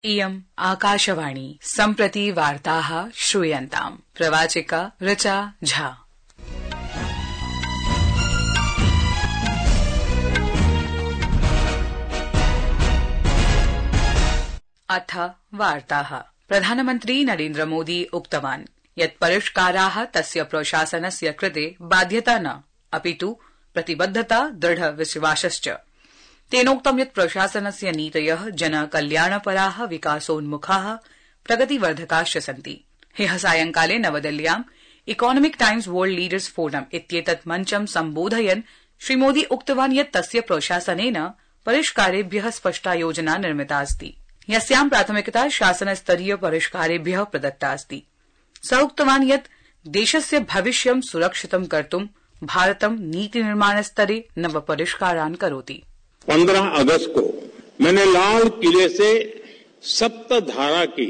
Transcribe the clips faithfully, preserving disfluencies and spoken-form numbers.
इयम् आकाशवाणी सम्प्रति वार्ताः श्रूयन्ताम्। प्रवाचिका ऋचा झा। अथ वार्ताः। प्रधानमन्त्री नरेन्द्र मोदी उक्तवान् यत् परिष्काराः तस्य प्रशासनस्य कृते बाध्यता न अपितु प्रतिबद्धता दृढ विश्वासश्च। तेनोक्तं यत् प्रशासनस्य नीतयः जनकल्याणपराः विकासोन्मुखाः प्रगतिवर्धकाश्च सन्ति। ह्यः सायंकाले नवदिल्ल्याम् economic times world leaders forum इत्येतत् मञ्चं सम्बोधयन् श्रीमोदी उक्तवान् यत् तस्य प्रशासनेन परिष्कारेभ्यः स्पष्टा योजना निर्मिता अस्ति, यस्यां प्राथमिकता शासनस्तरीय परिष्कारेभ्यः प्रदत्ता अस्ति। स उक्तवान् यत् देशस्य भविष्यं सुरक्षितं कर्तुं भारतं नीतिनिर्माणस्तरे नव परिष्कारान् करोति। पंद्रह अगस्त को मैंने लाल किले से सप्त धारा की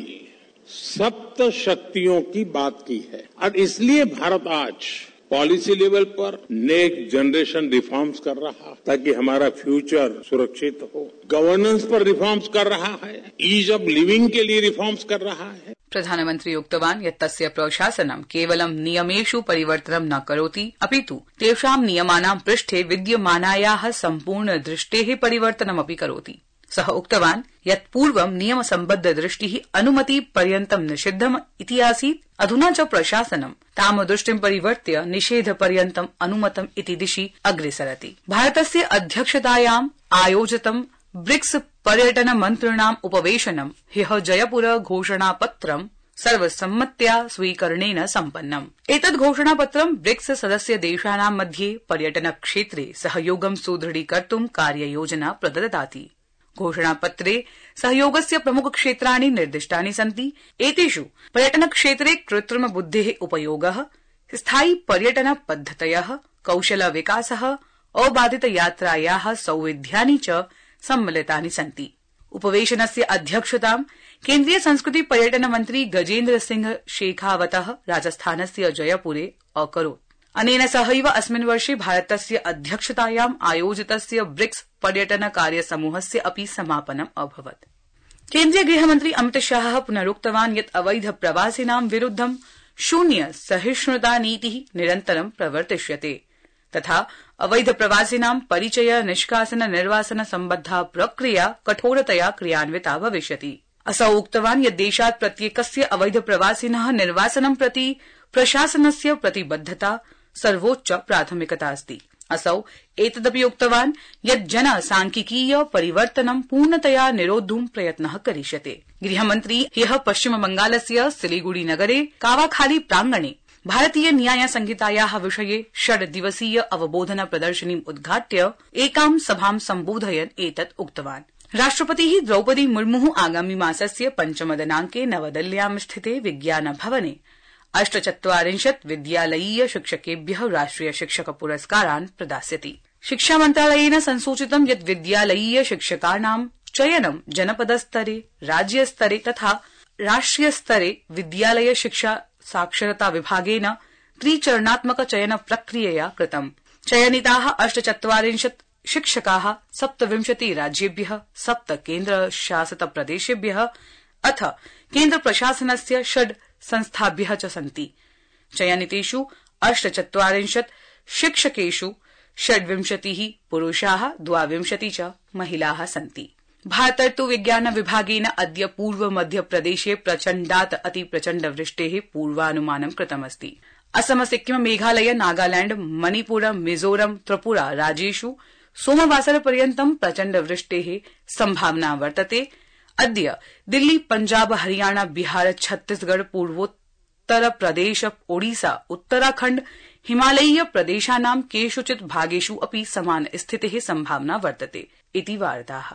सप्त शक्तियों की बात की है और इसलिए भारत आज पॉलिसी लेवल पर नेक्स्ट जनरेशन रिफॉर्म्स कर रहा है ताकि हमारा फ्यूचर सुरक्षित हो। गवर्नेंस पर रिफॉर्म्स कर रहा है, ईज ऑफ लिविंग के लिए रिफॉर्म्स कर रहा है। प्रधानमन्त्री उक्तवान् यत् तस्य प्रशासनं केवलं नियमेषु परिवर्तनं न करोति अपितु तेषां नियमानां पृष्ठे विद्यमानायाः सम्पूर्ण दृष्टेः परिवर्तनमपि करोति। सः उक्तवान् यत् पूर्वं नियमसम्बद्ध दृष्टिः अनुमति पर्यन्तं निषिद्धम् इति आसीत्, अधुना च प्रशासनं तां दृष्टिं परिवर्त्य निषेध पर्यन्तम् अनुमतम् इति दिशि अग्रेसरति। भारतस्य अध्यक्षतायाम् आयोजितं ब्रिक्स पर्यटन मन्त्रिणाम् उपवेशनं ह्यः जयपुर घोषणापत्रं सर्वसम्मत्या स्वीकरणेन सम्पन्नम्। एतद् घोषणापत्रं ब्रिक्स सदस्य देशानां मध्ये पर्यटन क्षेत्रे सहयोगं सुदृढीकर्तुं कार्ययोजना प्रददाति। घोषणापत्रे सहयोगस्य प्रमुख क्षेत्राणि निर्दिष्टानि सन्ति। एतेषु पर्यटन क्षेत्रे कृत्रिम बुद्धेः उपयोगः, स्थायि पर्यटन पद्धतयः, कौशल विकासः, अबाधित यात्रायाः सौविध्यानि च सम्मिलितानि सन्ति। उपवेशनस्य अध्यक्षतां केन्द्रीय संस्कृति पर्यटन मन्त्री गजेन्द्र सिंह शेखावतः राजस्थानस्य जयपुरे अकरोत्। अनेन सहैव अस्मिन् वर्षे भारतस्य अध्यक्षतायाम् आयोजितस्य ब्रिक्स पर्यटन कार्यसमूहस्य अपि समापनम् अभवत्। केन्द्रीय गृहमन्त्री अमित शाहः पुनरुक्तवान् यत् अवैध प्रवासिनां विरुद्धं शून्य सहिष्णुता नीतिः निरन्तरं प्रवर्तिष्यते तथा अवैध प्रवासिनां परिचय निष्कासन निर्वासन सम्बद्धा प्रक्रिया कठोरतया क्रियान्विता भविष्यति। असौ उक्तवान् यत् देशात् प्रत्येकस्य अवैध प्रवासिनः निर्वासनं प्रति प्रशासनस्य प्रतिबद्धता सर्वोच्च प्राथमिकता अस्ति। असौ एतदपि उक्तवान् यत् जनसांख्यिकीय परिवर्तनं पूर्णतया निरोद्धुं प्रयत्नः करिष्यते। गृहमन्त्री ह्यः पश्चिमबंगालस्य सिलीगुड़ी नगरे कावाखाली प्रांगणे भारतीय न्याय संहितायाः विषये षड् दिवसीय अवबोधन प्रदर्शनीम् उद्घाट्य एकां सभां सम्बोधयन् एतत् उक्तवान्। राष्ट्रपतिः द्रौपदी मुर्मुः आगामि मासस्य पञ्चम दिनाङ्के नवदिल्ल्यां स्थिते विज्ञान भवने अष्टचत्वारिंशत् विद्यालयीय शिक्षकेभ्यः राष्ट्रिय शिक्षक पुरस्कारान् प्रदास्यति। शिक्षा मन्त्रालयेन संसूचितं यत् विद्यालयीय शिक्षकाणां चयनं जनपदस्तरे, राज्यस्तरे तथा राष्ट्रियस्तरे विद्यालय शिक्षा साक्षरता विभागेन त्रिचरणात्मक चयन प्रक्रियया कृतम्। चयनिताः अष्टचत्वारिंशत् शिक्षकाः सप्तविंशति राज्येभ्यः, सप्त केन्द्रशासित प्रदेशेभ्यः अथ केन्द्र प्रशासनस्य षड् संस्थाभ्यः च सन्ति। चयनितेषु अष्टचत्वारिंशत् शिक्षकेषु षड्विंशतिः पुरुषाः, द्वाविंशति च महिलाः सन्ति। भारतर्तु विज्ञान विभागेन अद्य पूर्व मध्यप्रदेशे प्रचण्डात् अति प्रचण्ड वृष्टेः पूर्वानुमानं कृतमस्ति। असम, सिक्किम, मेघालय, नागालैंड, मणिपुर, मिजोरम, त्रिपुरा राज्येषु सोमवासरपर्यन्तं प्रचण्ड वृष्टेः सम्भावना वर्तते। अद्य दिल्ली, पञ्जाब, हरियाणा, बिहार, छत्तीसगढ़, पूर्वोत्तर प्रदेश, ओडिशा, उत्तराखण्ड, हिमालयीय प्रदेशानां केषुचित् भागेषु अपि समान स्थितेः सम्भावना वर्तते इति वार्ताः।